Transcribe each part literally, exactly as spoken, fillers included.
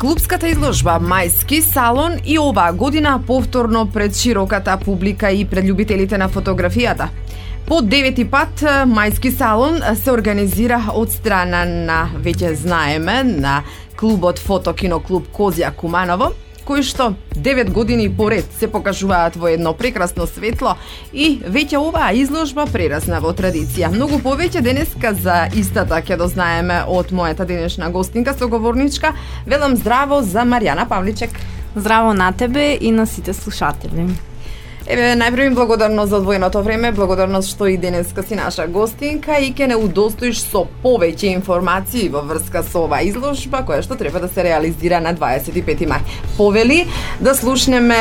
Клупската изложба Мајски салон и оваа година повторно пред широката публика и пред љубителите на фотографијата. По девети пат Мајски салон се организира од страна на, веќе знаеме, на клубот Фотокиноклуб Козја Куманово, кои што девет години поред се покажуваат во едно прекрасно светло и веќе оваа изложба прерасна во традиција. Многу повеќе денеска за истата ќе дознаеме од мојата денешна гостинка, соговорничка. Велам здраво за Маријана Павличек. Здраво на тебе и на сите слушатели. Еве, најпрво им благодарност за одвоеното време, благодарност што и денеска си наша гостинка и ќе не удостоиш со повеќе информации во врска со оваа изложба, која што треба да се реализира на дваесет и пети мај. Повели да слушнеме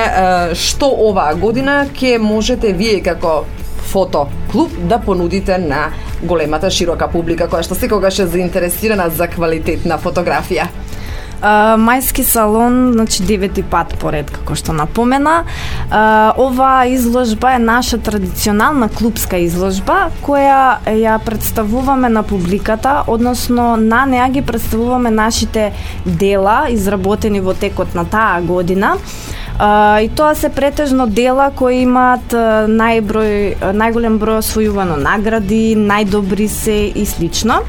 што оваа година ќе можете вие како фотоклуб да понудите на големата широка публика, која што секогаш е заинтересирана за квалитетна фотографија. Uh, Мајски салон, значи девети пат поред, како што напомена. Uh, ова изложба е наша традиционална клубска изложба, која ја представуваме на публиката, односно на неа ги представуваме нашите дела, изработени во текот на таа година. Uh, и тоа се претежно дела кои имаат uh, најброј, uh, најголем број освојувано награди, најдобри се и слично.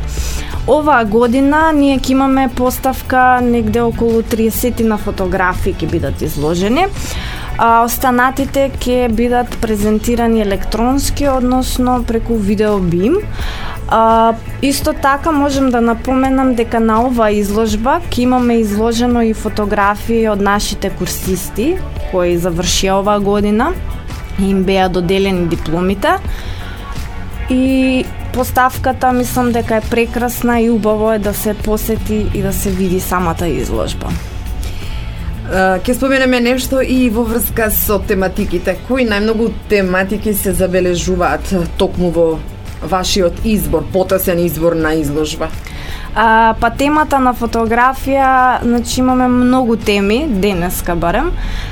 Оваа година ние ќе имаме поставка негде околу триесет на фотографии ќе бидат изложени, а останатите ќе бидат презентирани електронски, односно преку видеобим. А, исто така можем да напоменам дека на оваа изложба ќе имаме изложено и фотографии од нашите курсисти кои завршија оваа година и им беа доделени дипломите. И поставката мислам дека е прекрасна и убаво е да се посети и да се види самата изложба. Ќе споменеме нешто и во врска со тематиките. Кои најмногу тематики се забележуваат токму во вашиот избор, потесен избор на изложба? А, па темата на фотографија, значи имаме многу теми, денеска барем,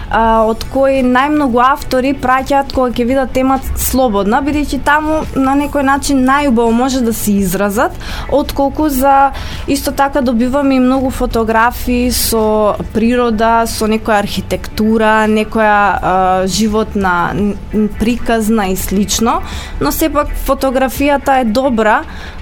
а, од кои најмногу автори праќаат кога ќе видат темата слободна, бидејќи таму на некој начин најубаво може да се изразат, отколку за исто така добиваме и многу фотографии со природа, со некоја архитектура, некоја а, животна приказна и слично, но сепак фотографијата е добра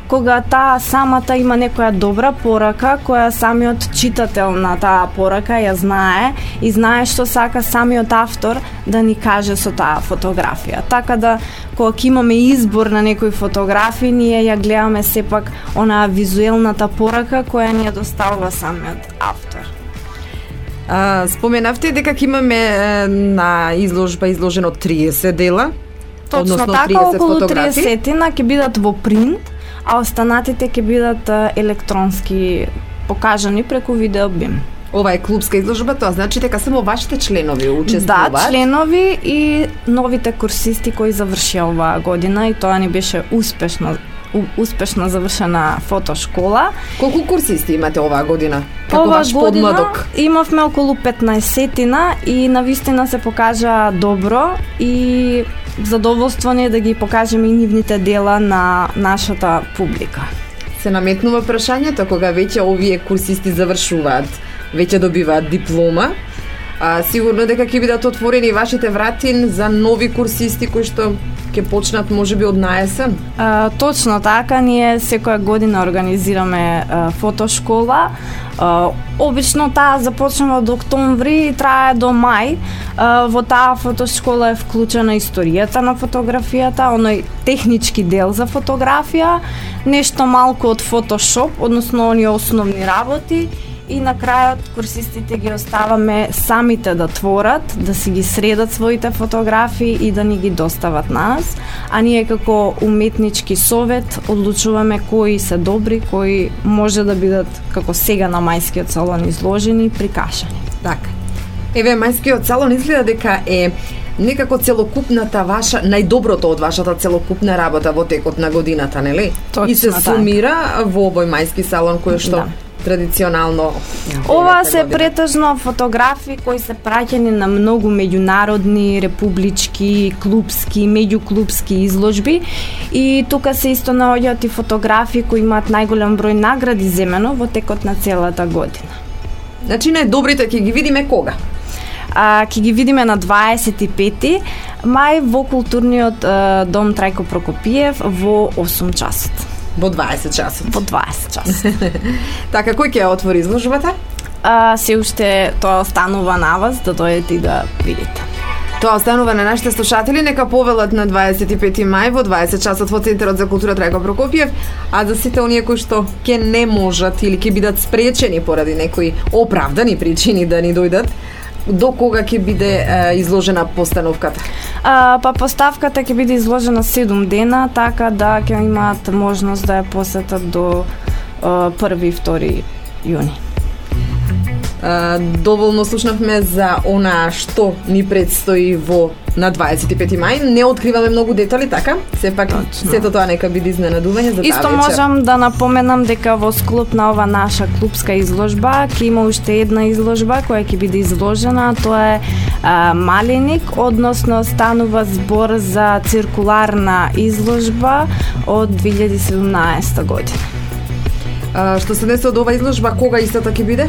кога таа самата има некоја добра порака, која самиот читател на таа порака ја знае и знае што сака самиот автор да ни каже со таа фотографија. Така да, кога имаме избор на некои фотографии, ние ја гледаме сепак онаа визуелната порака која ни ја доставува самиот автор. А, споменавте дека ќе имаме на изложба изложено триесет дела, точно односно така, триесет околу фотографии. триесет ќе бидат во принт, а останатите ќе бидат електронски покажани преку видеобим. Ова е клубска изложба, тоа значи дека само вашите членови учествуваат? Да, членови и новите курсисти кои завршија оваа година и тоа ни беше успешно успешно завршена фотошкола. Колку курсисти имате оваа година? Како Ова ваш година подмладок? Имавме околу петнаесетина и навистина се покажа добро и задоволство ни е да ги покажеме и нивните дела на нашата публика. Се наметнува прашањето кога веќе овие курсисти завршуваат, веќе добиваат диплома, а сигурно дека ќе бидат отворени вашите врати за нови курсисти кои што ќе почнат можеби од наесен? А, точно така, ние секоја година организираме а, фотошкола. А, обично таа започнува од октомври и трае до мај. А, во таа фотошкола е вклучена историјата на фотографијата, оној технички дел за фотографија, нешто малку од фотошоп, односно оние основни работи. И на крајот курсистите ги оставаме самите да творат, да си ги средат своите фотографии и да ни ги достават на нас, а ние како уметнички совет одлучуваме кои се добри, кои може да бидат како сега на Мајскиот салон изложени и прикажани. Така. Еве, Мајскиот салон изгледа дека е некако целокупната ваша, најдоброто од вашата целокупна работа во текот на годината, нели? Точно и се така. сумира во овој Мајски салон кој што Да. традиционално. Ова се претежно фотографии кои се праќани на многу меѓународни, републички, клубски, меѓуклубски изложби и тука се исто наоѓаат и фотографии кои имаат најголем број награди земено во текот на целата година. Значи најдобрите ќе ги видиме кога? А, ќе ги видиме на дваесет и пети мај во културниот а, дом Трајко Прокопиев во осум часот. Во дваесет часот. Во дваесет часот. Така, кој ќе отвори изложбата? А, се уште тоа останува на вас да дојдете и да видите. Тоа останува на нашите слушатели, нека повелат на дваесет и пети мај во дваесет часот во Центарот за култура Трајко Прокопиев, а за сите оние кои што ќе не можат или ќе бидат спречени поради некои оправдани причини да ни дојдат, до кога ќе биде е, изложена постановката? А, па поставката ќе биде изложена седум дена, така да ќе имаат можност да ја посетат до е, први и втори јуни. Uh, доволно слушнавме за она што ни предстои во на дваесет и пети мај. Не откриваме многу детали, така? Сепак сето тоа нека биде изненадување за таа вечер. Исто можам да напоменам дека во склоп на ова наша клупска изложба ќе има уште една изложба која ќе биде изложена, тоа е а, Малиник, односно станува збор за циркуларна изложба од две илјади и седумнаесета година. А, што се десе од ова изложба, кога истата ќе биде?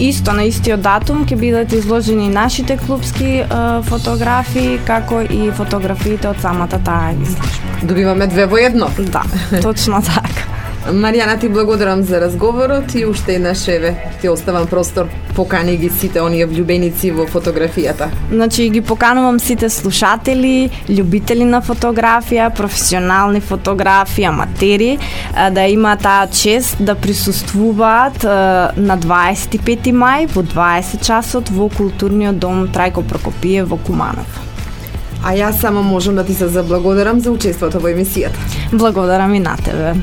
Исто на истиот датум ќе бидат изложени нашите клупски а, фотографии, како и фотографиите од самата таа изложба. Добиваме две во едно. Да, точно така. Маријана, ти благодарам за разговорот и уште еднаш еве ти оставам простор, покани ги сите оние влюбеници во фотографијата. Значи ги поканувам сите слушатели, љубители на фотографија, професионални фотографи, аматери, да имаат таа чест да присуствуваат на дваесет и пети мај во дваесет часот во културниот дом Трајко Прокопиев во Куманов. А јас само можам да ти се заблагодарам за учеството во емисијата. Благодарам и на тебе.